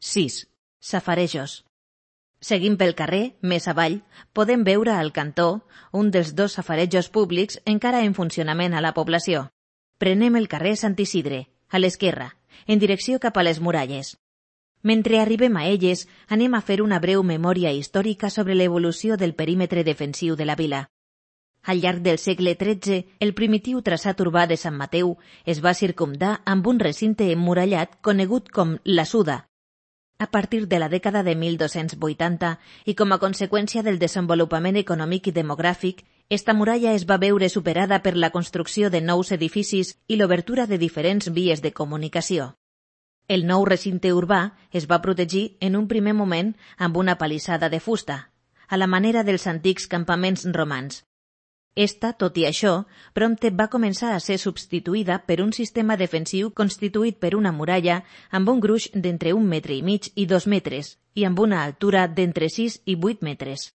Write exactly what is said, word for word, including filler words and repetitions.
sis. Safarejos. Seguint pel carrer, més avall, podem veure al cantó un dels dos safarejos públics encara en funcionament a la població. Prenem el carrer Sant Isidre, a l'esquerra, en direcció cap a les muralles. Mentre arribem a elles, anem a fer una breu memòria històrica sobre l'evolució del perímetre defensiu de la vila. Al llarg del segle tretze, el primitiu traçat urbà de Sant Mateu es va circumdar amb un recinte emmurallat conegut com la Suda. A partir de la dècada de mil dos-cents vuitanta i com a conseqüència del desenvolupament econòmic i demogràfic, esta muralla es va veure superada per la construcció de nous edificis i l'obertura de diferents vies de comunicació. El nou recinte urbà es va protegir en un primer moment amb una palissada de fusta, a la manera dels antics campaments romans. Esta, tot i això, prompte va començar a ser substituïda per un sistema defensiu constituït per una muralla amb un gruix d'entre un metre i mig i dos metres i amb una altura d'entre sis i vuit metres.